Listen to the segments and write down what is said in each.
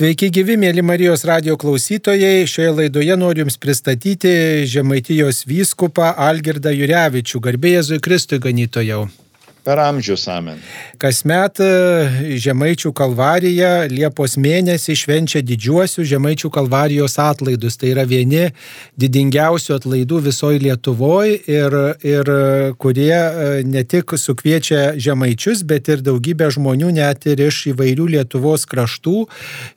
Sveiki gyvi, mėly Marijos radijo klausytojai. Šioje laidoje noriu Jums pristatyti Žemaitijos vyskupą Algirdą Jurevičių. Garbė Jėzui Kristui, ganytojau. Per amžius amen. Kasmet Žemaičių kalvarija Liepos mėnesį švenčia didžiuosius Žemaičių kalvarijos atlaidus. Tai yra vieni didingiausių atlaidų visoje Lietuvoje ir kurie ne tik sukviečia žemaičius, bet ir daugybę žmonių net ir iš įvairių Lietuvos kraštų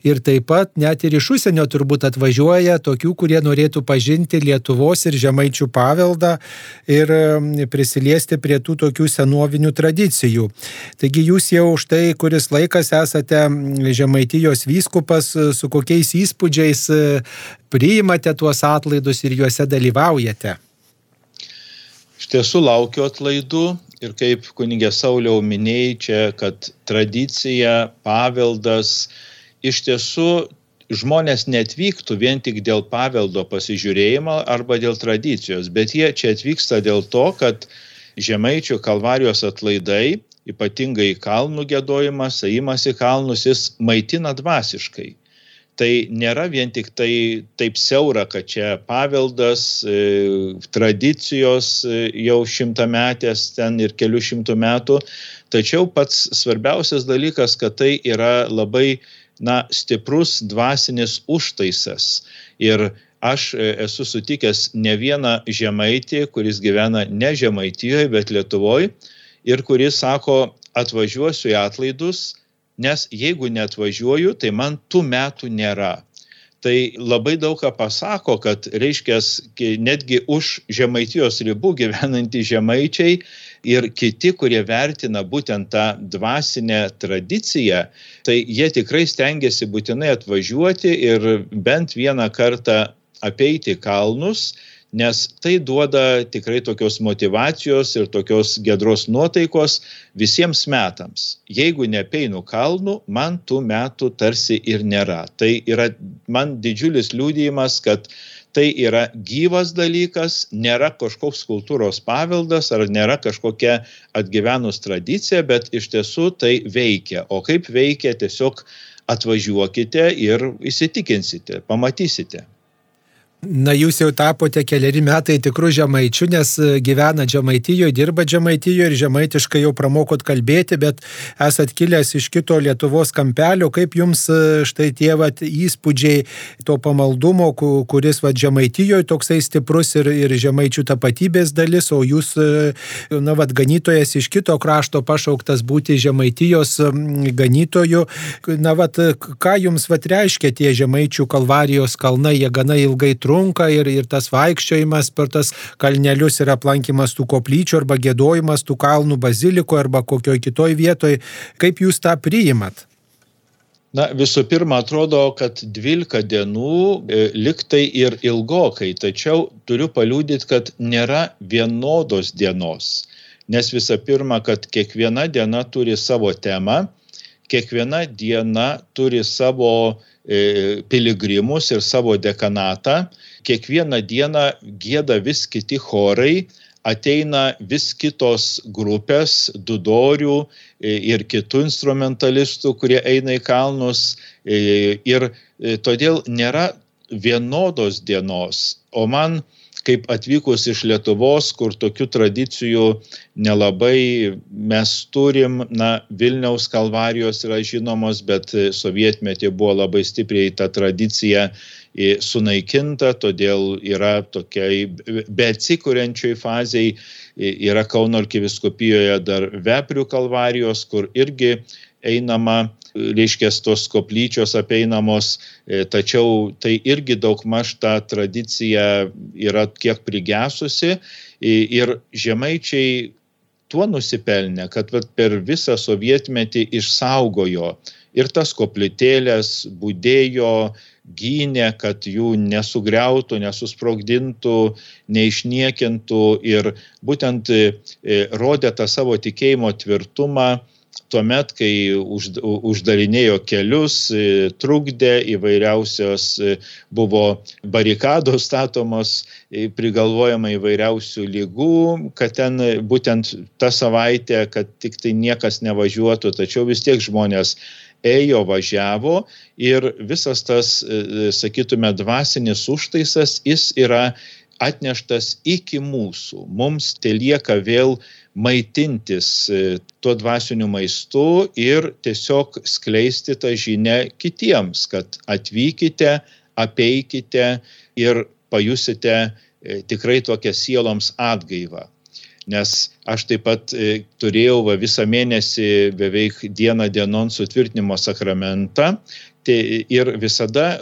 ir taip pat net ir iš užsienio turbūt atvažiuoja tokių, kurie norėtų pažinti Lietuvos ir žemaičių paveldą ir prisiliesti prie tų tokių senovinių tradicijų. Taigi jūs jau štai kuris laikas esate Žemaitijos vyskupas, su kokiais įspūdžiais priimate tuos atlaidus ir juose dalyvaujate? Iš tiesų laukiu atlaidų ir kaip kunigė Sauliau minėjai čia, kad tradicija, paveldas, iš tiesų žmonės neatvyktų vien tik dėl paveldo pasižiūrėjimo arba dėl tradicijos, bet jie čia atvyksta dėl to, kad Žemaičių kalvarijos atlaidai, ypatingai kalnų giedojimas, ėjimas į kalnus, jis maitina dvasiškai. Tai nėra vien tik tai taip siaura, kad čia paveldas, tradicijos jau šimtametės ten ir kelių šimtų metų, tačiau pats svarbiausias dalykas, kad tai yra labai stiprus dvasinis užtaisas. Ir aš esu sutikęs ne vieną žemaitį, kuris gyvena ne Žemaitijoje, bet Lietuvoje, ir kuris sako, atvažiuosiu į atlaidus, nes jeigu neatvažiuoju, tai man tų metų nėra. Tai labai daug ką pasako, kad reiškia netgi už Žemaitijos ribų gyvenantys žemaičiai ir kiti, kurie vertina būtent tą dvasinę tradiciją, tai jie tikrai stengiasi būtinai atvažiuoti ir bent vieną kartą apeiti kalnus, nes tai duoda tikrai tokios motyvacijos ir tokios giedros nuotaikos visiems metams. Jeigu neapeinu kalnų, man tų metų tarsi ir nėra. Tai yra man didžiulis liudijimas, kad tai yra gyvas dalykas, nėra kažkoks kultūros paveldas ar nėra kažkokia atgyvenus tradicija, bet iš tiesų tai veikia. O kaip veikia, tiesiog atvažiuokite ir įsitikinsite, pamatysite. Na, jūs jau tapote keleri metai tikrų žemaičių, nes gyvena Žemaitijoje, dirba Žemaitijoje ir žemaitiškai jau pramokot kalbėti, bet esat kilęs iš kito Lietuvos kampelio. Kaip jums štai tie įspūdžiai to pamaldumo, kuris Žemaitijoje toksai stiprus ir žemaičių tapatybės dalis, o jūs, ganytojas iš kito krašto pašauktas būti Žemaitijos ganytoju. Ką jums reiškia tie Žemaičių kalvarijos kalnai, jie gana ilgai trunka ir tas vaikščiojimas per tas kalnelius ir aplankymas tų koplyčių arba giedojimas tų kalnų bazilikoje arba kokioj kitoj vietoj. Kaip jūs tą priimat? Visų pirma, atrodo, kad 12 dienų liktai ir ilgokai, tačiau turiu paliudyti, kad nėra vienodos dienos. Nes visų pirma, kad kiekviena diena turi savo temą, kiekviena diena turi savo piligrimus ir savo dekanatą. Kiekvieną dieną gieda vis kiti chorai, ateina vis kitos grupės, dudorių ir kitų instrumentalistų, kurie eina į kalnus. Ir todėl nėra vienodos dienos. O man, kaip atvykus iš Lietuvos, kur tokių tradicijų nelabai mes turim, Vilniaus kalvarijos yra žinomos, bet sovietmetį buvo labai stipriai ta tradicija sunaikinta, todėl yra tokiai beatsikuriančioj fazėj, yra Kauno arkivyskupijoje dar Veprių kalvarijos, kur irgi einama, reiškia, tos koplyčios apeinamos, tačiau tai irgi daugmaž ta tradicija yra kiek prigesusi ir žemaičiai tuo nusipelnė, kad per visą sovietmetį išsaugojo ir tas koplytėlės, budėjo, gynė, kad jų nesugriautų, nesusprogdintų, neišniekintų ir būtent rodė tą savo tikėjimo tvirtumą tuomet, kai uždarinėjo kelius, trukdė įvairiausios, buvo barikados statomos, prigalvojama įvairiausių ligų, kad ten būtent tą savaitę, kad tik tai niekas nevažiuotų, tačiau vis tiek žmonės ėjo, važiavo ir visas tas, sakytume, dvasinis užtaisas, jis yra atneštas iki mūsų. Mums telieka vėl maitintis tuo dvasiniu maistu ir tiesiog skleisti tą žinią kitiems, kad atvykite, apeikite ir pajusite tikrai tokią sieloms atgaivą. Nes aš taip pat turėjau visą mėnesį beveik dieną dienon sutvirtinimo sakramentą ir visada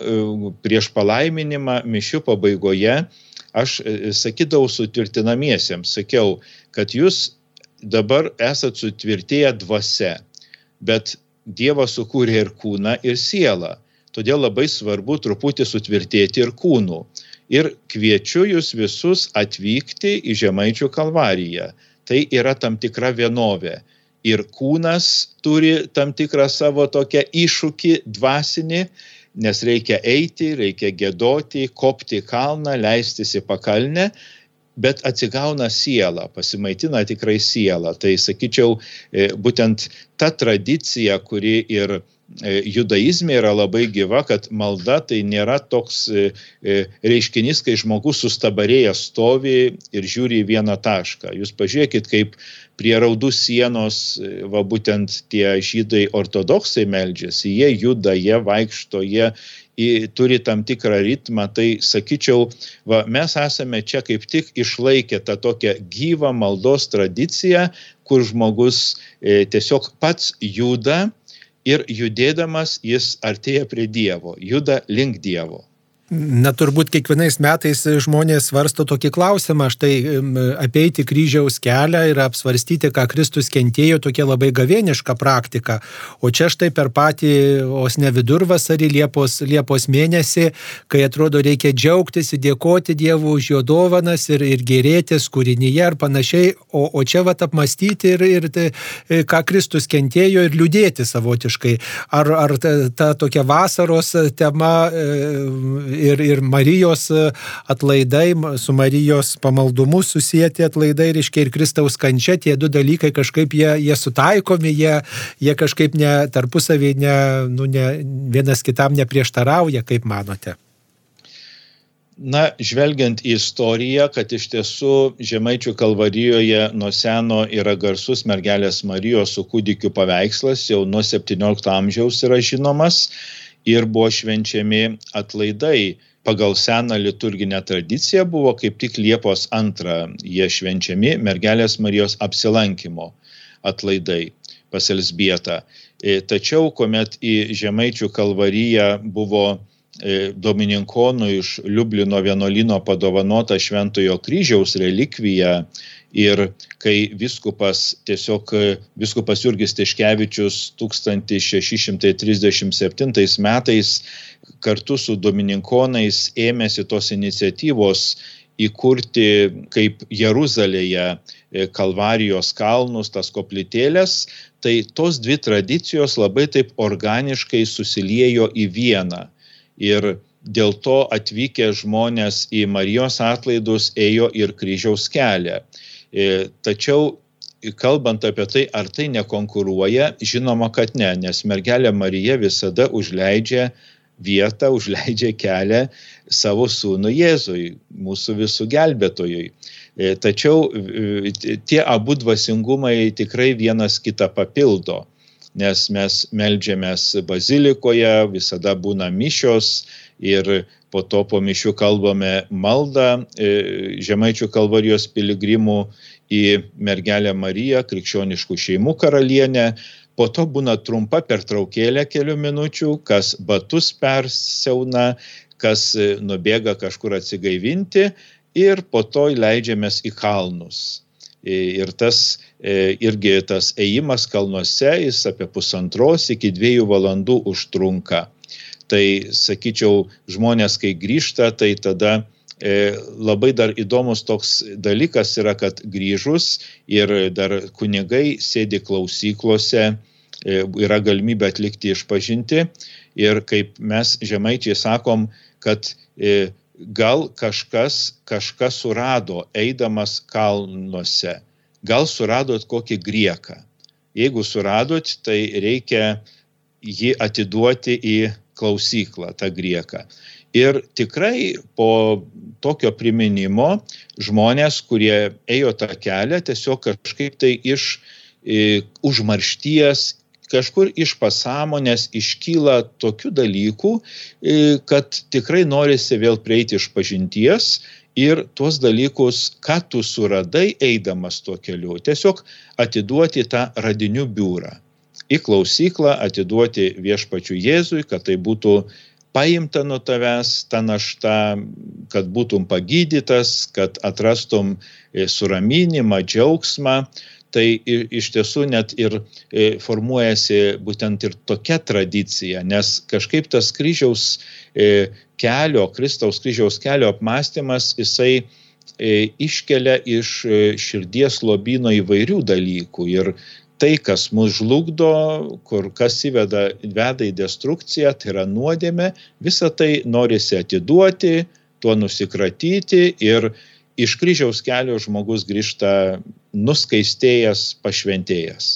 prieš palaiminimą mišių pabaigoje aš sakydavau sutvirtinamiesiems, sakiau, kad jūs dabar esat sutvirtėję dvasia, bet Dievas sukūrė ir kūną, ir sielą. Todėl labai svarbu truputį sutvirtėti ir kūnų. Ir kviečiu jūs visus atvykti į Žemaičių kalvariją. Tai yra tam tikra vienovė. Ir kūnas turi tam tikrą savo tokią iššūkį dvasinį, nes reikia eiti, reikia giedoti, kopti kalną, leistis į pakalnę, bet atsigauna siela, pasimaitina tikrai siela. Tai sakyčiau, būtent ta tradicija, kuri ir judaizme yra labai gyva, kad malda tai nėra toks reiškinys, kai žmogus sustabarėjęs stovi ir žiūri į vieną tašką. Jūs pažiūrėkit, kaip prie raudų sienos, būtent tie žydai ortodoksai meldžiasi, jie juda, jie vaikšto, jie turi tam tikrą ritmą, tai sakyčiau, mes esame čia kaip tik išlaikę tą tokią gyvą maldos tradiciją, kur žmogus tiesiog pats juda ir judėdamas jis artėja prie Dievo, juda link Dievo. Na, turbūt kiekvienais metais žmonės svarsto tokį klausimą, štai apeiti kryžiaus kelią ir apsvarstyti, ką Kristus kentėjo, tokia labai gavėniška praktika. O čia štai per patį, os ne vidurvasarį, Liepos mėnesį, kai atrodo reikia džiaugtis, dėkoti Dievui už jo dovanas ir gėrėtis kūrinyje ir panašiai, o čia apmastyti ir ką Kristus kentėjo ir liūdėti savotiškai. Ar ta tokia vasaros tema ir Marijos atlaidai, su Marijos pamaldumu susijęti atlaidai, reiškia ir Kristaus kančia, tie du dalykai kažkaip jie sutaikomi, jie kažkaip tarpusavį vienas kitam neprieštarauja, kaip manote? Na, žvelgiant į istoriją, kad iš tiesų Žemaičių kalvarijoje nuo seno yra garsus mergelės Marijos su kūdikiu paveikslas, jau nuo 17 amžiaus yra žinomas, ir buvo švenčiami atlaidai. Pagal seną liturginę tradiciją buvo kaip tik Liepos 2 jie švenčiami mergelės Marijos apsilankymo atlaidai pas Elzbietą. Tačiau, kuomet į Žemaičių kalvariją buvo domininkonų iš Liublino vienuolyno padovanota Šventojo kryžiaus relikvija ir kai viskupas Jurgis Tiškevičius 1637 metais kartu su domininkonais ėmėsi tos iniciatyvos įkurti kaip Jeruzalėje Kalvarijos kalnus, tas koplytėlės, tai tos dvi tradicijos labai taip organiškai susiliejo į vieną. Ir dėl to atvykę žmonės į Marijos atlaidus ėjo ir kryžiaus kelią. Tačiau, kalbant apie tai, ar tai nekonkuruoja, žinoma, kad ne, nes mergelė Marija visada užleidžia vietą, užleidžia kelią savo sūnų Jėzui, mūsų visų gelbėtojui. Tačiau tie abu dvasingumai tikrai vienas kitą papildo, nes mes meldžiamės bazilikoje, visada būna mišios ir po to po mišių kalbame maldą Žemaičių kalvarijos piligrimų į mergelę Mariją, krikščioniškų šeimų karalienę. Po to būna trumpa pertraukėlė kelių minučių, kas batus persiauna, kas nubėga kažkur atsigaivinti ir po to leidžiamės į kalnus. Ir tas ėjimas kalnuose, jis apie 1,5 iki 2 valandų užtrunka. Tai, sakyčiau, žmonės, kai grįžta, tai tada labai dar įdomus toks dalykas yra, kad grįžus ir dar kunigai sėdi klausyklose, yra galimybė atlikti išpažintį ir kaip mes žemaičiai sakom, kad gal kažkas surado eidamas kalnuose, gal suradot kokį grieką. Jeigu suradot, tai reikia jį atiduoti į klausyklą, tą grieką. Ir tikrai po tokio priminimo žmonės, kurie ėjo tą kelią, tiesiog kažkaip tai iš užmaršties, kažkur iš pasąmonės iškyla tokių dalykų, kad tikrai norisi vėl prieiti iš pažinties ir tuos dalykus, ką tu suradai eidamas tuo keliu, tiesiog atiduoti tą radinių biurą. Į klausyklą atiduoti viešpačiui Jėzui, kad tai būtų paimta nuo tavęs ta našta, kad būtum pagydytas, kad atrastum suraminimą, džiaugsmą. Tai iš tiesų net ir formuojasi būtent ir tokia tradicija, nes kažkaip tas Kristaus kryžiaus kelio apmąstymas, jisai iškelia iš širdies lobyno įvairių dalykų. Ir tai, kas mus žlugdo, kas veda į destrukciją, tai yra nuodėmė, visą tai norisi atiduoti, tuo nusikratyti ir iš kryžiaus kelio žmogus grįžta nuskaistėjęs, pašventėjęs.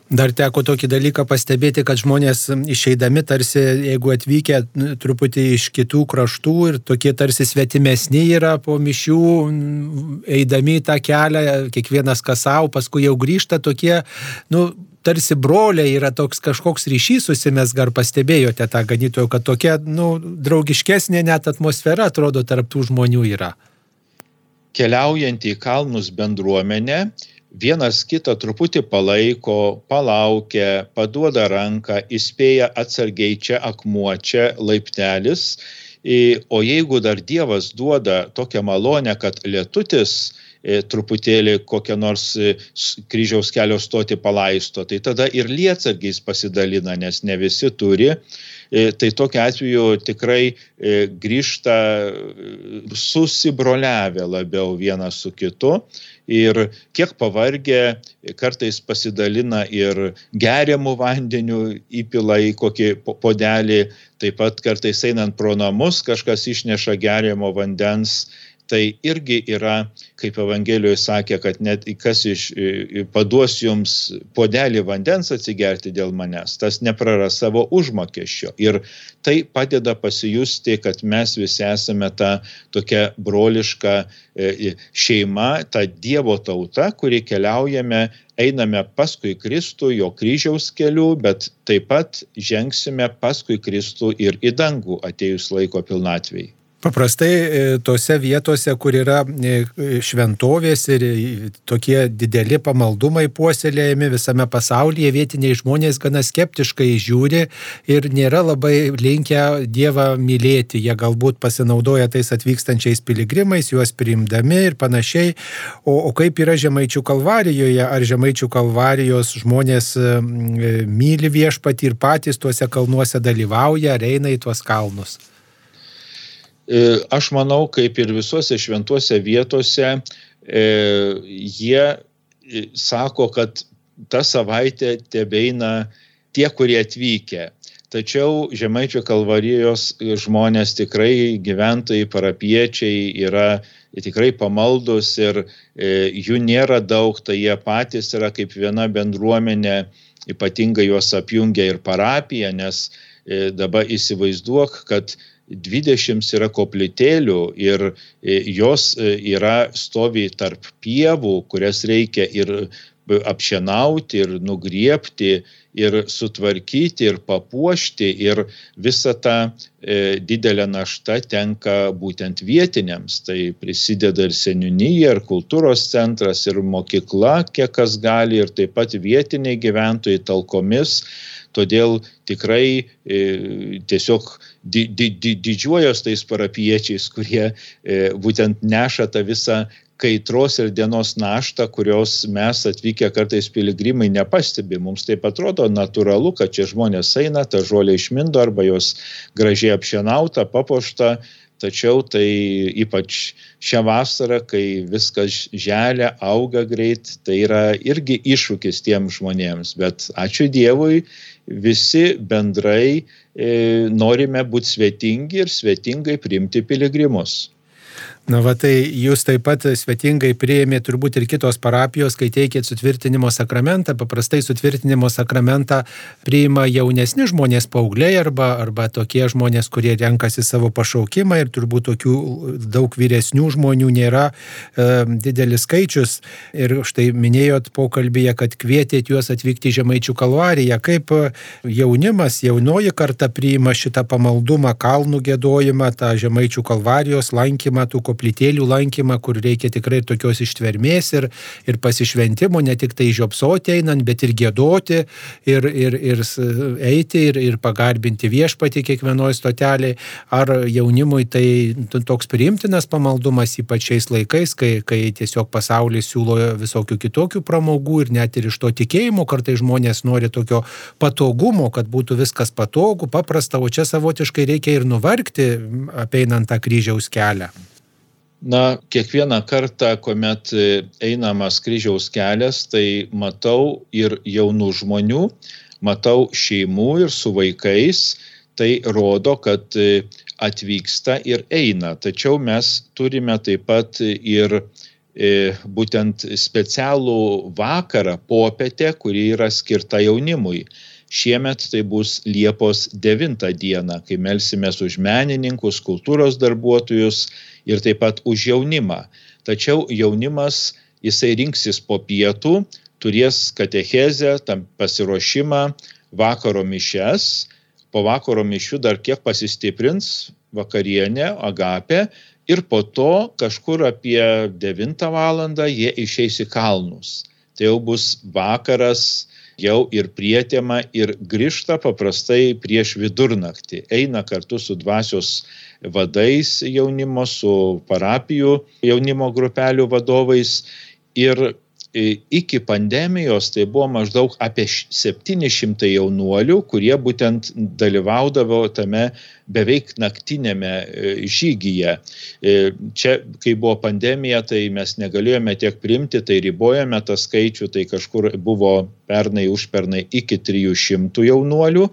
Dar teko tokį dalyką pastebėti, kad žmonės išeidami tarsi, jeigu atvykę truputį iš kitų kraštų ir tokie tarsi svetimesni yra po mišių, eidami tą kelią, kiekvienas kas savo, paskui jau grįžta tokie, tarsi broliai, yra toks kažkoks ryšys susimesga, ar pastebėjote tą ganytojo, kad tokia, draugiškesnė net atmosfera atrodo tarp tų žmonių yra. Keliaujant į kalnus bendruomenę, vienas kitą truputį palaiko, palaukia, paduoda ranką, įspėja atsargiai čia akmuo, čia laiptelis. O jeigu dar Dievas duoda tokią malonę, kad lietutis truputėlį kokią nors kryžiaus kelio stotį palaisto, tai tada ir lietsargiais pasidalina, nes ne visi turi. Tai tokiu atveju tikrai grįžta susibroliavę labiau vienas su kitu ir kiek pavargę kartais pasidalina ir geriamų vandenių, įpila į kokį puodelį, taip pat kartais einant pro namus kažkas išneša geriamo vandens. Tai irgi yra, kaip Evangelijoje sakė, kad net kas paduos jums puodelį vandens atsigerti dėl manęs, tas nepraras savo užmokesčio. Ir tai padeda pasijusti, kad mes visi esame ta tokia broliška šeima, ta Dievo tauta, kuri keliaujame, einame paskui Kristų, jo kryžiaus keliu, bet taip pat žengsime paskui Kristų ir į dangų atėjus laiko pilnatvei. Paprastai tose vietose, kur yra šventovės ir tokie dideli pamaldumai puoselėjami visame pasaulyje, vietiniai žmonės gana skeptiškai žiūri ir nėra labai linkę Dievą mylėti. Jie galbūt pasinaudoja tais atvykstančiais piligrimais, juos priimdami ir panašiai. O kaip yra Žemaičių Kalvarijoje? Ar Žemaičių Kalvarijos žmonės myli viešpatį ir patys tuose kalnuose dalyvauja, ar eina į tuos kalnus? Aš manau, kaip ir visuose šventuose vietose, jie sako, kad tą savaitę tebeina tie, kurie atvykę. Tačiau Žemaičių Kalvarijos žmonės tikrai, gyventojai, parapiečiai yra tikrai pamaldus ir jų nėra daug, tai jie patys yra kaip viena bendruomenė, ypatingai juos apjungia ir parapija, nes dabar įsivaizduok, kad 20 yra koplytėlių ir jos stovi tarp pievų, kurias reikia ir apšienauti, ir nugriebti, ir sutvarkyti, ir papuošti, ir visa ta didelė našta tenka būtent vietiniams. Tai prisideda ir seniūnija, ir kultūros centras, ir mokykla, kiek kas gali, ir taip pat vietiniai gyventojai talkomis. Todėl tikrai tiesiog didžiuojos tais parapiečiais, kurie būtent neša tą visą kaitros ir dienos naštą, kurios mes atvykę kartais piligrimai nepastebi. Mums taip atrodo natūralu, kad čia žmonės eina, tą žolę išmindo arba jos gražiai apšienauta, papuošta. Tačiau tai ypač šią vasarą, kai viskas želia, auga greit, tai yra irgi iššūkis tiem žmonėms. Bet ačiū Dievui, visi bendrai norime būti svetingi ir svetingai priimti piligrimus. Na va, tai jūs taip pat svetingai priėmė turbūt ir kitos parapijos, kai teikėt sutvirtinimo sakramentą. Paprastai sutvirtinimo sakramentą priima jaunesni žmonės, paaugliai arba tokie žmonės, kurie renkasi savo pašaukimą, ir turbūt tokių daug vyresnių žmonių nėra didelis skaičius. Ir štai minėjot pokalbėje, kad kvietėt juos atvykti į Žemaičių kalvariją. Kaip jaunimas, jaunoji karta priima šitą pamaldumą, kalnų giedojimą, tą Žemaičių kalvarijos lankymą, tų koplytėlių lankymą, kur reikia tikrai tokios ištvermės ir pasišventimo, ne tik tai žiopsoti einant, bet ir giedoti, ir eiti, ir pagarbinti viešpatį kiekvienoje stotelėje. Ar jaunimui tai toks priimtinas pamaldumas, ypač šiais laikais, kai tiesiog pasaulis siūlo visokių kitokių pramogų, ir net ir iš to tikėjimo kartais žmonės nori tokio patogumo, kad būtų viskas patogu, paprasta, o čia savotiškai reikia ir nuvargti, apeinant tą kryžiaus kelią. Na, kiekvieną kartą, kuomet einamas kryžiaus kelias, tai matau ir jaunų žmonių, matau šeimų ir su vaikais, tai rodo, kad atvyksta ir eina. Tačiau mes turime taip pat ir būtent specialų vakarą, popietę, kuri yra skirta jaunimui. Šiemet tai bus Liepos 9 dieną, kai melsimės už menininkus, kultūros darbuotojus ir taip pat už jaunimą. Tačiau jaunimas, jisai rinksis po pietų, turės katechezę, tam pasiruošimą, vakaro mišias, po vakaro mišių dar kiek pasistiprins vakarienė, agapė, ir po to kažkur apie 9 valandą jie išeis į kalnus. Tai jau bus vakaras, jau ir prietema, ir grįžta paprastai prieš vidurnaktį. Eina kartu su dvasios vadais jaunimo, su parapijų jaunimo grupelių vadovais. Ir iki pandemijos tai buvo maždaug apie 700 jaunuolių, kurie būtent dalyvaudavo tame beveik naktinėme žygyje. Čia, kai buvo pandemija, tai mes negalėjome tiek priimti, tai ribojame tą skaičių, tai kažkur buvo pernai, užpernai iki 300 jaunuolių.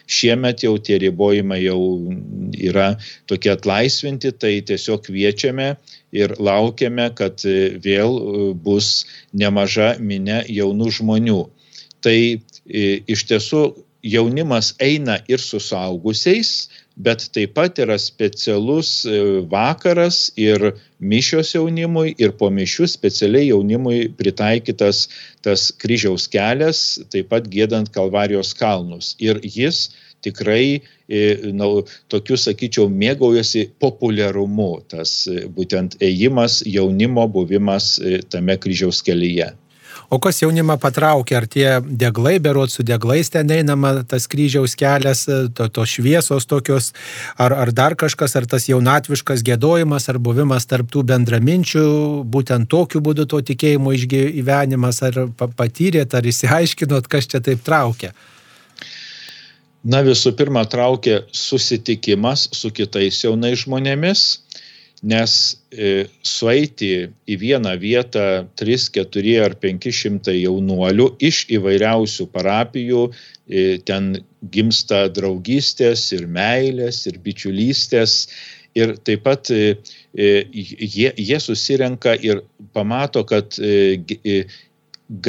Šiemet jau tie ribojimai jau yra tokie atlaisvinti, tai tiesiog kviečiame ir laukiame, kad vėl bus nemaža minia jaunų žmonių. Tai iš tiesų jaunimas eina ir su suaugusiais, bet taip pat yra specialus vakaras ir mišios jaunimui, ir po mišių specialiai jaunimui pritaikytas tas kryžiaus kelias, taip pat giedant Kalvarijos kalnus. Ir jis tikrai, tokiu, sakyčiau, mėgaujasi populiarumu, tas būtent ėjimas, jaunimo buvimas tame kryžiaus kelyje. O kas jaunimą patraukia? Ar tie deglai, berods su deglais ten einama, tas kryžiaus kelias, tos šviesos tokios, ar dar kažkas, ar tas jaunatviškas giedojimas, ar buvimas tarp tų bendraminčių, būtent tokiu būdu to tikėjimo išgyvenimas, ar patyrėt, ar išsiaiškinot, kas čia taip traukia? Na, visų pirma, traukia susitikimas su kitais jaunais žmonėmis, nes sueiti į vieną vietą 3, 4 ar 500 jaunuolių iš įvairiausių parapijų, ten gimsta draugystės ir meilės ir bičiulystės, ir taip pat jie susirenka ir pamato, kad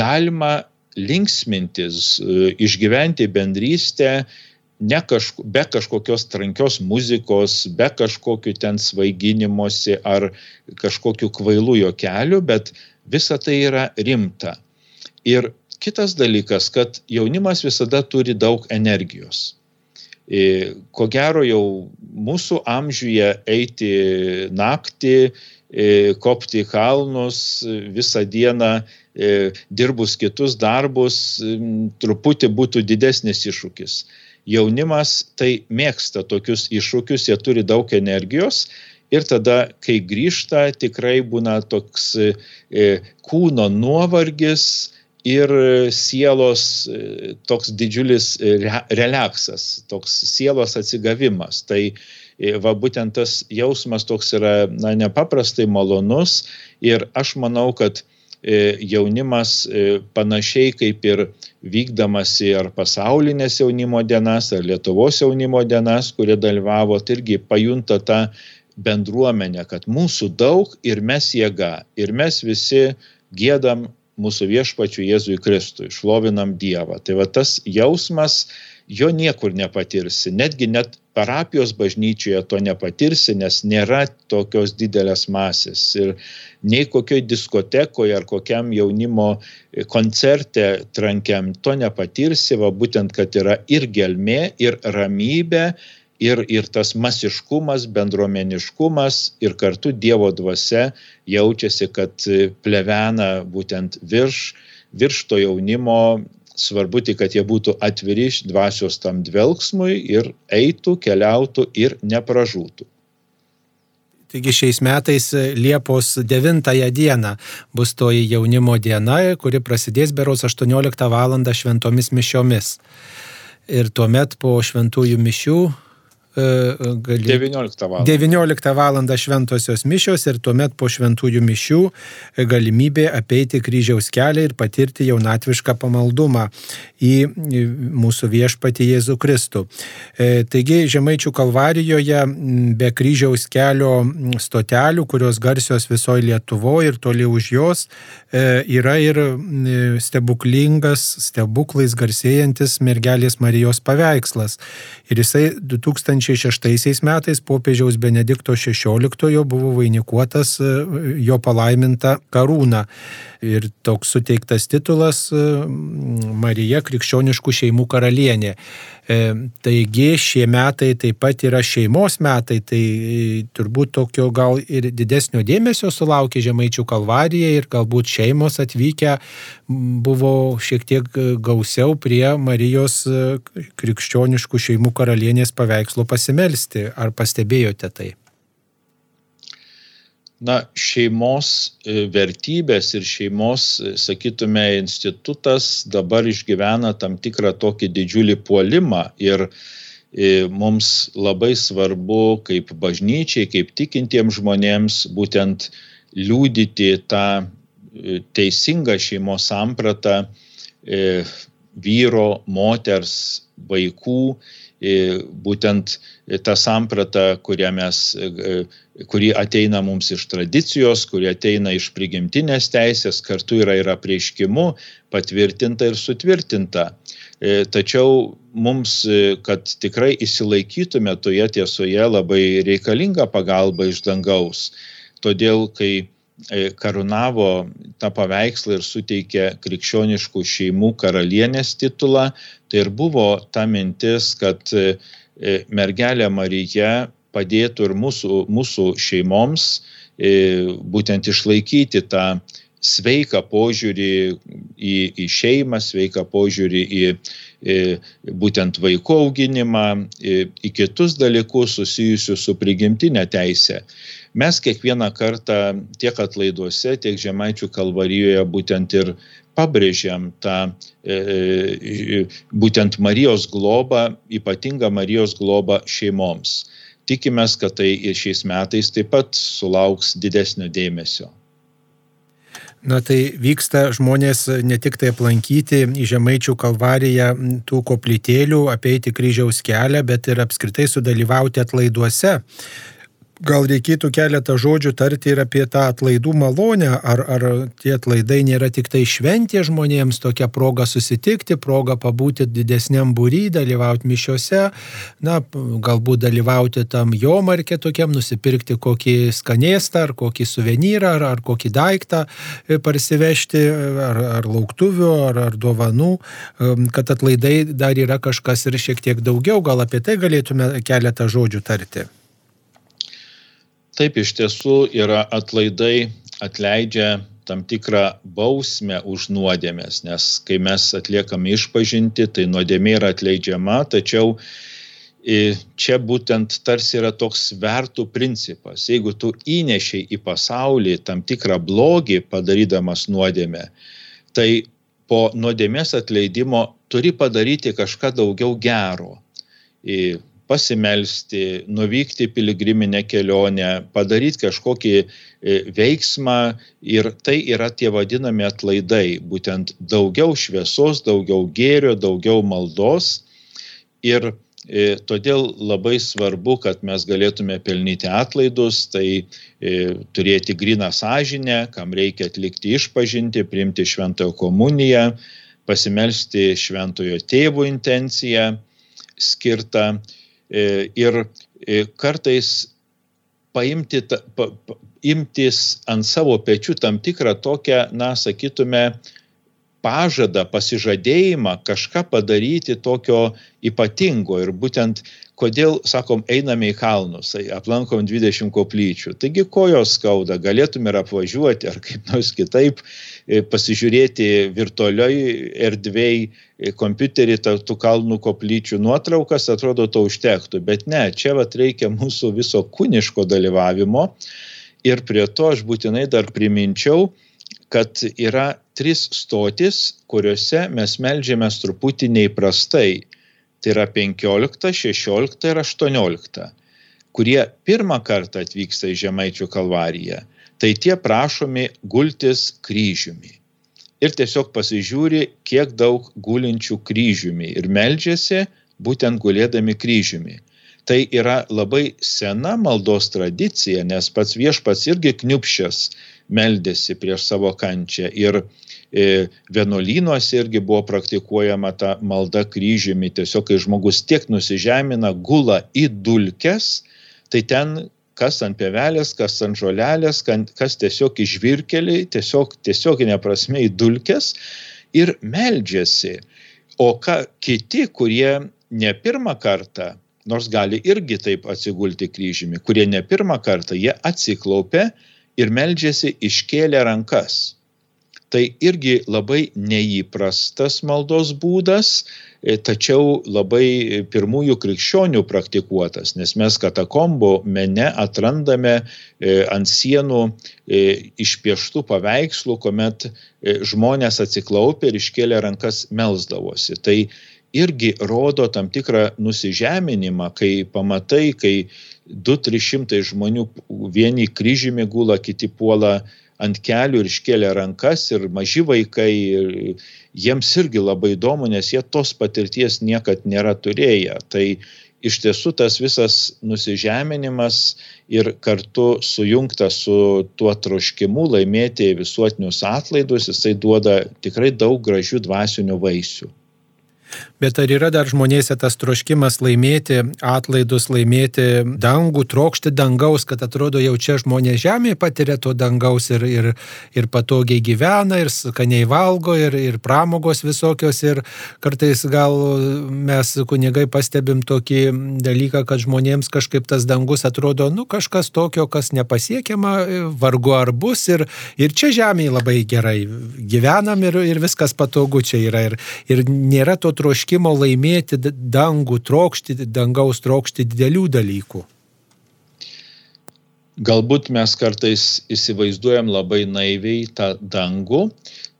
galima linksmintis, išgyventi bendrystę, be kažkokios trankios muzikos, be kažkokių ten svaiginimosi ar kažkokių kvailų juokelių, bet visa tai yra rimta. Ir kitas dalykas, kad jaunimas visada turi daug energijos. Ko gero jau mūsų amžiuje eiti naktį, kopti į kalnus, visą dieną dirbus kitus darbus, truputį būtų didesnis iššūkis. Jaunimas tai mėgsta tokius iššūkius, jie turi daug energijos ir tada, kai grįžta, tikrai būna toks kūno nuovargis ir sielos toks didžiulis relaksas, toks sielos atsigavimas. Tai būtent tas jausmas toks yra nepaprastai malonus ir aš manau, kad jaunimas panašiai kaip ir vykdamas į ar pasaulinės jaunimo dienas, ar Lietuvos jaunimo dienas, kurie dalyvavo, tai irgi pajunta tą bendruomenę, kad mūsų daug ir mes jėga. Ir mes visi giedam mūsų viešpačiui Jėzui Kristui, šlovinam Dievą. Tai va tas jausmas, jo niekur nepatirsi. Netgi net parapijos bažnyčioje to nepatirsi, nes nėra tokios didelės masės. Ir nei kokioj diskotekoje ar kokiam jaunimo koncerte trankiam to nepatirsi, va būtent, kad yra ir gelmė, ir ramybė, ir tas masiškumas, bendruomeniškumas, ir kartu Dievo dvasia jaučiasi, kad plevena būtent virš to jaunimo. Svarbu tik, kad jie būtų atviri dvasios tam dvelksmui ir eitų, keliautų ir nepražūtų. Taigi šiais metais Liepos 9 dieną bus toji jaunimo diena, kuri prasidės berods 18 val. Šventomis mišiomis. Ir tuomet po šventųjų mišių 19 val. Šventosios mišios ir tuomet po šventųjų mišių galimybė apeiti kryžiaus kelią ir patirti jaunatvišką pamaldumą į mūsų viešpatį Jėzų Kristų. Taigi Žemaičių Kalvarijoje be kryžiaus kelio stotelių, kurios garsios visoje Lietuvoje ir toli už jos, yra ir stebuklais garsėjantis mergelės Marijos paveikslas. Ir jisai 2006 metais popiežiaus Benedikto XVI buvo vainikuotas jo palaiminta karūna. Ir toks suteiktas titulas Marija krikščioniškų šeimų karalienė. Taigi šie metai taip pat yra šeimos metai, tai turbūt tokio gal ir didesnio dėmesio sulaukė Žemaičių Kalvarija ir galbūt šeimos atvykę buvo šiek tiek gausiau prie Marijos krikščioniškų šeimų karalienės paveikslo pasimelsti. Ar pastebėjote tai? Na, šeimos vertybės ir šeimos, sakytume, institutas dabar išgyvena tam tikrą tokį didžiulį puolimą ir mums labai svarbu kaip bažnyčiai, kaip tikintiems žmonėms būtent liudyti tą teisingą šeimos sampratą vyro, moters, vaikų, būtent tą sampratą, kuri ateina mums iš tradicijos, kuri ateina iš prigimtinės teisės, kartu yra ir apreiškimu patvirtinta ir sutvirtinta. Tačiau mums, kad tikrai įsilaikytume toje tiesoje, labai reikalinga pagalba iš dangaus. Todėl, kai karūnavo tą paveikslą ir suteikė krikščioniškų šeimų karalienės titulą, tai ir buvo ta mintis, kad mergelė Marija padėtų ir mūsų šeimoms būtent išlaikyti tą sveiką požiūrį į šeimą, sveiką požiūrį į būtent vaikų auginimą, į kitus dalykus susijusius su prigimtinė teise. Mes kiekvieną kartą tiek atlaiduose, tiek Žemaičių Kalvarijoje būtent ir pabrėžiam tą būtent Marijos globą, ypatingą Marijos globą šeimoms. Tikimės, kad tai ir šiais metais taip pat sulauks didesnio dėmesio. Na tai vyksta žmonės ne tik tai aplankyti į Žemaičių Kalvariją tų koplytėlių, apeiti kryžiaus kelią, bet ir apskritai sudalyvauti atlaiduose. Gal reikėtų keletą žodžių tarti ir apie tą atlaidų malonę, ar tie atlaidai nėra tik tai šventė žmonėms, tokia proga susitikti, proga pabūti didesniam būry, dalyvauti mišiose, na, galbūt dalyvauti tam jomarke tokiam, nusipirkti kokį skanėstą, ar kokį suvenyrą, ar kokį daiktą parsivežti, ar lauktuvių, ar dovanų, kad atlaidai dar yra kažkas ir šiek tiek daugiau, gal apie tai galėtume keletą žodžių tarti. Taip, iš tiesų yra atlaidai atleidžia tam tikrą bausmę už nuodėmes, nes kai mes atliekame išpažintį, tai nuodėmė yra atleidžiama, tačiau čia būtent tarsi yra toks svertų principas. Jeigu tu įnešiai į pasaulį tam tikrą blogį padarydamas nuodėmę, tai po nuodėmės atleidimo turi padaryti kažką daugiau gero. Pasimelsti, nuvykti piligriminę kelionę, padaryti kažkokį veiksmą ir tai yra tie vadinami atlaidai, būtent daugiau šviesos, daugiau gėrio, daugiau maldos ir Todėl labai svarbu, kad mes galėtume pelnyti atlaidus, tai turėti gryną sąžinę, kam reikia atlikti išpažintį, priimti šventojo komuniją, pasimelsti šventojo tėvo intenciją skirtą ir kartais imtis ant savo pečių tam tikrą tokią, sakytume, pažadą, pasižadėjimą kažką padaryti tokio ypatingo. Ir būtent, kodėl, sakom, einame į kalnus, aplankom 20 koplyčių. Taigi kojos skauda, galėtume ir apvažiuoti, ar kaip nors kitaip pasižiūrėti virtualioj erdvėj kompiuterį tų kalnų koplyčių nuotraukas, atrodo, to užtektų. Bet ne, čia reikia mūsų viso kūniško dalyvavimo. Ir prie to aš būtinai dar priminčiau, kad yra 3 stotis, kuriuose mes meldžiamės truputį neįprastai. Tai yra 15, 16 ir 18, kurie pirmą kartą atvyksta į Žemaičių kalvariją. Tai tie prašomi gultis kryžiumi. Ir tiesiog pasižiūri, kiek daug gulinčių kryžiumi. Ir meldžiasi būtent gulėdami kryžiumi. Tai yra labai sena maldos tradicija, nes pats viešpats irgi kniupščias meldėsi prieš savo kančią. Ir vienuolynuose irgi buvo praktikuojama ta malda kryžiumi. Tiesiog, kai žmogus tiek nusižemina, gula į dulkes, tai ten kas ant pievelės, kas ant žolelės, kas tiesiog į žvyrkelį, tiesioginė prasme į dulkes ir meldžiasi. O kiti, kurie ne pirmą kartą, nors gali irgi taip atsigulti kryžiumi, kurie ne pirmą kartą, jie atsiklaupia ir meldžiasi iškėlę rankas. Tai irgi labai neįprastas maldos būdas, tačiau labai pirmųjų krikščionių praktikuotas, nes mes katakombų mene atrandame ant sienų išpieštų paveikslų, kuomet žmonės atsiklaupė ir iškėlė rankas melsdavosi. Tai irgi rodo tam tikrą nusižeminimą, kai pamatai, kai 200-300 žmonių vieni kryžiumi gula, kiti puola ant kelių ir iškėlė rankas, ir maži vaikai, ir jiems irgi labai įdomu, nes jie tos patirties niekad nėra turėję. Tai iš tiesų tas visas nusižeminimas ir kartu sujungtas su tuo troškimu laimėti visuotinius atlaidus, jisai duoda tikrai daug gražių dvasinių vaisių. Bet ar yra dar žmonėse tas troškimas laimėti atlaidus, laimėti dangų, trokšti dangaus, kad atrodo jau čia žmonės žemėje patiria to dangaus ir patogiai gyvena, ir skaniai valgo, ir pramogos visokios, ir kartais gal mes kunigai pastebim tokį dalyką, kad žmonėms kažkaip tas dangus atrodo, kažkas tokio, kas nepasiekiama, vargu ar bus, ir čia žemėje labai gerai gyvenam, ir viskas patogu čia yra, ir nėra to troškimo laimėti dangų, dangaus trokšti didelių dalykų. Galbūt mes kartais įsivaizduojam labai naiviai tą dangų,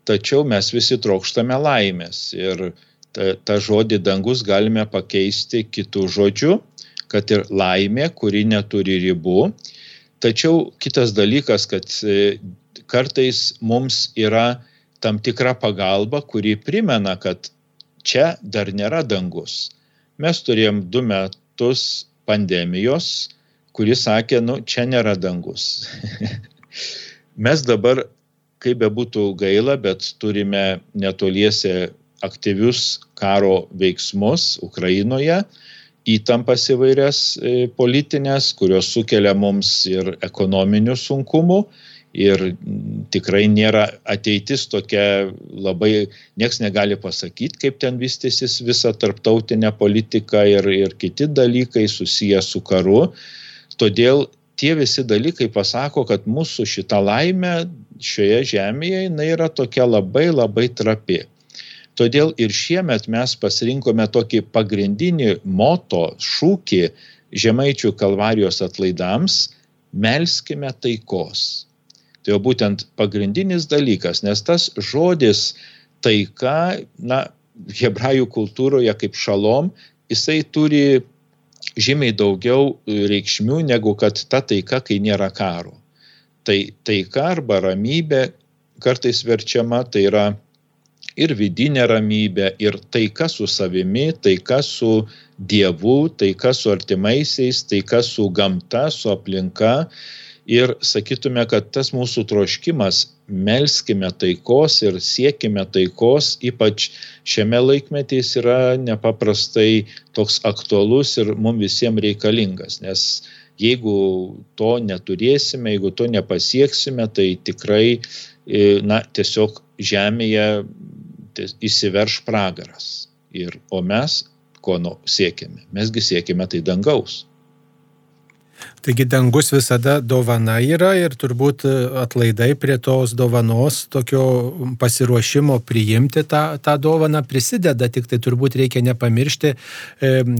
tačiau mes visi trokštame laimės. Ir tą žodį dangus galime pakeisti kitų žodžių, kad ir laimė, kuri neturi ribų. Tačiau kitas dalykas, kad kartais mums yra tam tikra pagalba, kuri primena, kad čia dar nėra dangus. Mes turėjom 2 metus pandemijos, kuris sakė, čia nėra dangus. Mes dabar, kaip bebūtų gaila, bet turime netoliese aktyvius karo veiksmus Ukrainoje, įtampas įvairias politinės, kurios sukelia mums ir ekonominių sunkumų. Ir tikrai nėra ateitis tokia labai, nieks negali pasakyti, kaip ten vystysis visa tarptautinė politika ir kiti dalykai susiję su karu. Todėl tie visi dalykai pasako, kad mūsų šita laimė šioje žemėje jinai yra tokia labai labai trapi. Todėl ir šiemet mes pasirinkome tokį pagrindinį moto, šūkį Žemaičių kalvarijos atlaidams – melskime taikos. Tai jau būtent pagrindinis dalykas, nes tas žodis taika, hebrajų kultūroje kaip šalom, jisai turi žymiai daugiau reikšmių negu kad ta taika, kai nėra karo. Tai taika arba ramybė kartais verčiama, tai yra ir vidinė ramybė, ir taika su savimi, taika su Dievu, taika su artimaisiais, taika su gamta, su aplinka. Ir sakytume, kad tas mūsų troškimas, melskime taikos ir siekime taikos, ypač šiame laikmetyje yra nepaprastai toks aktualus ir mums visiems reikalingas, nes jeigu to neturėsime, jeigu to nepasieksime, tai tikrai, tiesiog žemėje įsiverš pragaras. O mes ko siekime? Mesgi siekime tai dangaus. Taigi dangus visada dovana yra ir turbūt atlaidai prie tos dovanos, tokio pasiruošimo priimti tą dovaną prisideda, tik tai turbūt reikia nepamiršti,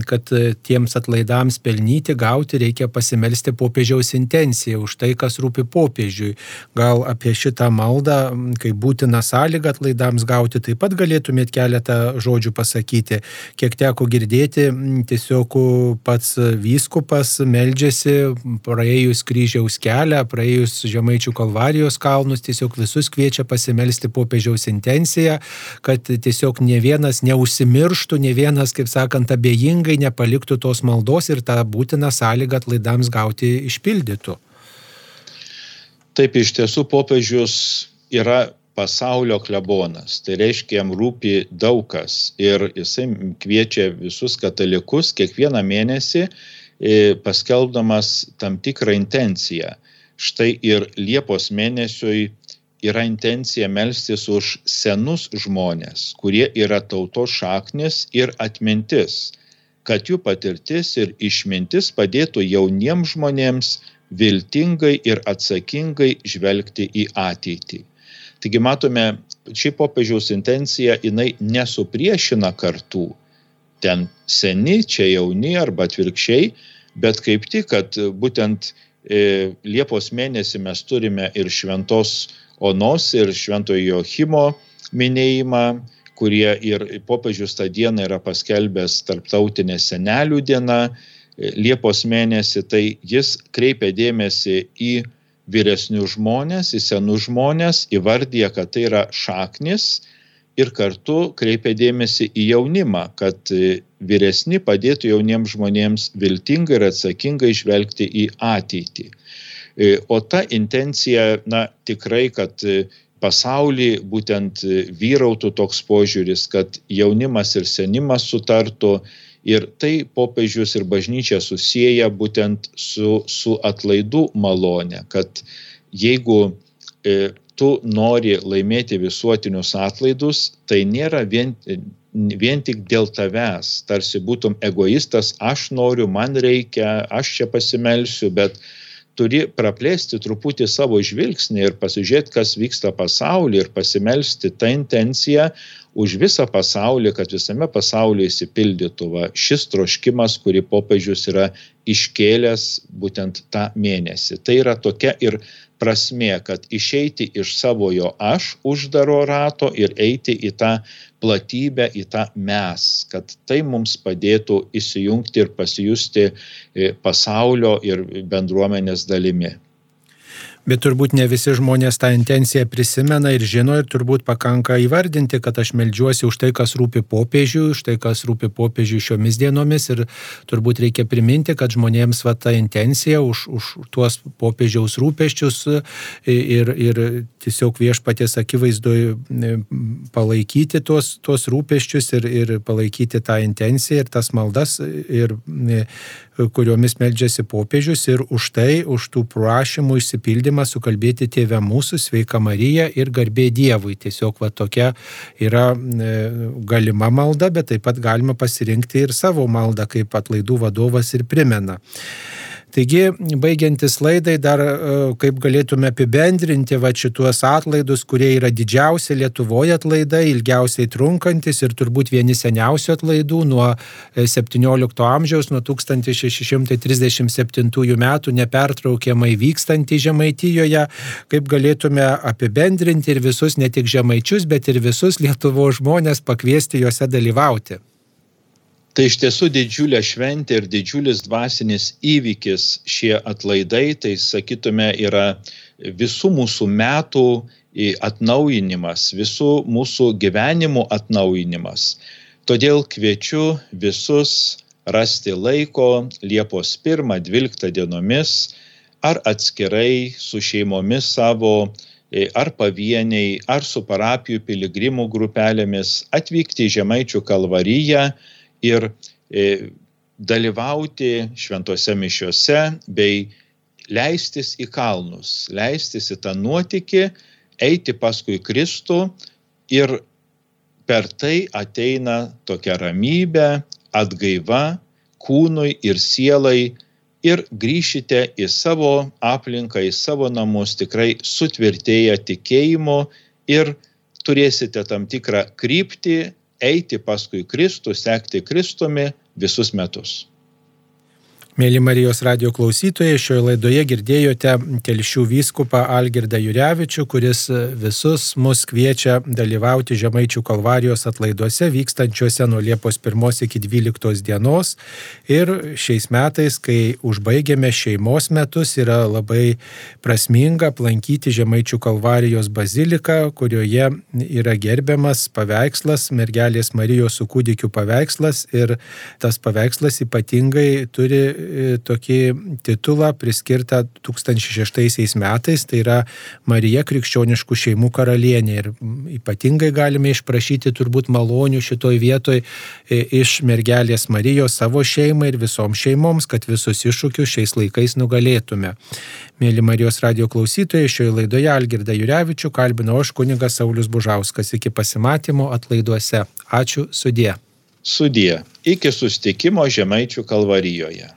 kad tiems atlaidams pelnyti, gauti, reikia pasimelsti popiežiaus intenciją už tai, kas rūpi popiežiui. Gal apie šitą maldą, kaip būtina sąlyga atlaidams gauti, taip pat galėtumėt keletą žodžių pasakyti. Kiek teko girdėti, tiesiog pats vyskupas meldžiasi praėjus kryžiaus kelią, praėjus Žemaičių Kalvarijos kalnus, tiesiog visus kviečia pasimelsti popiežiaus intenciją, kad tiesiog ne vienas neužsimirštų, ne vienas, kaip sakant, abejingai nepaliktų tos maldos ir tą būtiną sąlygą atlaidams gauti išpildytų. Taip, iš tiesų popiežius yra pasaulio klebonas, tai reiškia, jam rūpi daug kas ir jisai kviečia visus katalikus kiekvieną mėnesį paskelbdamas tam tikrą intenciją. Štai ir Liepos mėnesiui yra intencija melstis už senus žmonės, kurie yra tautos šaknis ir atmintis, kad jų patirtis ir išmintis padėtų jauniems žmonėms viltingai ir atsakingai žvelgti į ateitį. Taigi matome, ši popiežiaus intencija, jinai nesupriešina kartų. Ten seni, čia jauni arba atvirkščiai, bet kaip tik, kad būtent Liepos mėnesį mes turime ir šventos Onos ir šventojo Joachimo minėjimą, kurie ir popiežius tą dieną yra paskelbęs tarptautinė senelių diena. Liepos mėnesį, tai jis kreipia dėmesį į vyresnius žmonės, į senus žmonės, įvardyja, kad tai yra šaknis, ir kartu kreipia dėmesį į jaunimą, kad vyresni padėtų jauniems žmonėms viltingai ir atsakingai žvelgti į ateitį. O ta intencija, tikrai, kad pasauly būtent vyrautų toks požiūris, kad jaunimas ir senimas sutartų, ir tai popiežius ir bažnyčia susieja būtent su atlaidų malone, kad jeigu tu nori laimėti visuotinius atlaidus, tai nėra vien tik dėl tavęs, tarsi būtum egoistas, aš noriu, man reikia, aš čia pasimelsiu, bet turi praplėsti truputį savo žvilgsnį ir pasižiūrėti, kas vyksta pasaulyje ir pasimelsti tą intenciją už visą pasaulį, kad visame pasaulyje įsipildytų šis troškimas, kurį popiežius yra iškėlęs būtent tą mėnesį. Tai yra tokia ir prasmė, kad išeiti iš savojo aš uždaro rato ir eiti į tą platybę, į tą mes, kad tai mums padėtų įsijungti ir pasijusti pasaulio ir bendruomenės dalimi. Bet turbūt ne visi žmonės tą intenciją prisimena ir žino, ir turbūt pakanka įvardinti, kad aš meldžiuosi už tai, kas rūpi popiežiui, už tai, kas rūpi popiežiui šiomis dienomis, ir turbūt reikia priminti, kad žmonėms ta intencija už tuos popiežiaus rūpesčius ir tiesiog viešpaties akivaizdoje palaikyti tuos rūpesčius ir palaikyti tą intenciją ir tas maldas, ir kuriomis meldžiasi popiežius, ir už tai, už tų prašymų išsipildymą sukalbėti Tėve mūsų, sveika Marija ir garbė Dievui. Tiesiog tokia yra galima malda, bet taip pat galima pasirinkti ir savo maldą, kaip atlaidų vadovas ir primena. Taigi, baigiantis laidai, dar kaip galėtume apibendrinti šituos atlaidus, kurie yra didžiausi Lietuvoje atlaidai, ilgiausiai trunkantis ir turbūt vieni seniausių atlaidų nuo 17 amžiaus, nuo 1637 metų nepertraukiamai vykstantį Žemaitijoje, kaip galėtume apibendrinti ir visus, ne tik žemaičius, bet ir visus Lietuvos žmonės pakviesti juose dalyvauti. Tai iš tiesų didžiulė šventė ir didžiulis dvasinis įvykis šie atlaidai, tai sakytume, yra visų mūsų metų atnaujinimas, visų mūsų gyvenimų atnaujinimas. Todėl kviečiu visus rasti laiko Liepos 1-12 dienomis ar atskirai su šeimomis savo, ar pavieniai, ar su parapijų piligrimų grupelėmis atvykti į Žemaičių Kalvariją ir dalyvauti šventose mišiose bei leistis į kalnus, leistis į tą nuotykį, eiti paskui Kristų ir per tai ateina tokia ramybė, atgaiva kūnui ir sielai ir grįšite į savo aplinką, į savo namus tikrai sutvirtėję tikėjimu ir turėsite tam tikrą kryptį eiti paskui Kristų, sekti Kristumi visus metus. Mėly Marijos radijo klausytojai, šioje laidoje girdėjote Telšių vyskupą Algirdą Jurevičių, kuris visus mus kviečia dalyvauti Žemaičių Kalvarijos atlaiduose vykstančiuose nuo Liepos 1 iki 12 dienos. Ir šiais metais, kai užbaigėme šeimos metus, yra labai prasminga aplankyti Žemaičių Kalvarijos baziliką, kurioje yra gerbiamas paveikslas, mergelės Marijos su kūdikiu paveikslas, ir tas paveikslas ypatingai turi tokį titulą priskirtą 2006 metais, tai yra Marija krikščioniškų šeimų karalienė. Ir ypatingai galime išprašyti turbūt malonių šitoj vietoj iš mergelės Marijos savo šeimai ir visoms šeimoms, kad visus iššūkius šiais laikais nugalėtume. Mėly Marijos radijo klausytojai, šioje laidoje Algirdą Jurevičių kalbino aš kunigas Saulius Bužauskas. Iki pasimatymo atlaiduose. Ačiū, sudie. Sudie. Iki susitikimo Žemaičių Kalvarijoje.